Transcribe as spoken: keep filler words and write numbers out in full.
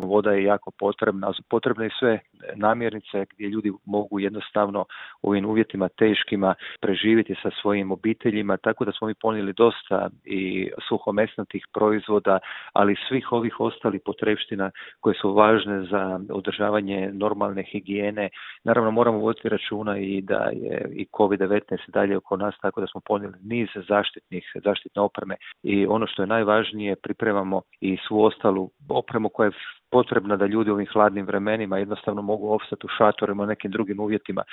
voda je jako potrebna, potrebne i sve namirnice gdje ljudi mogu jednostavno u ovim uvjetima teškima preživjeti sa svojim obiteljima, tako da smo mi ponijeli dosta i suhomesnatih proizvoda, ali svih ovih ostalih potrepština koje su važne za održavanje normalne higijene. Naravno moramo voditi računa i da je i kovid devetnaest dalje oko nas, tako da smo ponijeli niz zaštitnih, zaštitne opreme i ono što je najvažnije, pripremamo i svu ostalu opremu koja je potrebna da ljudi u ovim hladnim vremenima jednostavno mogu opstati u šatorima, u nekim drugim uvjetima.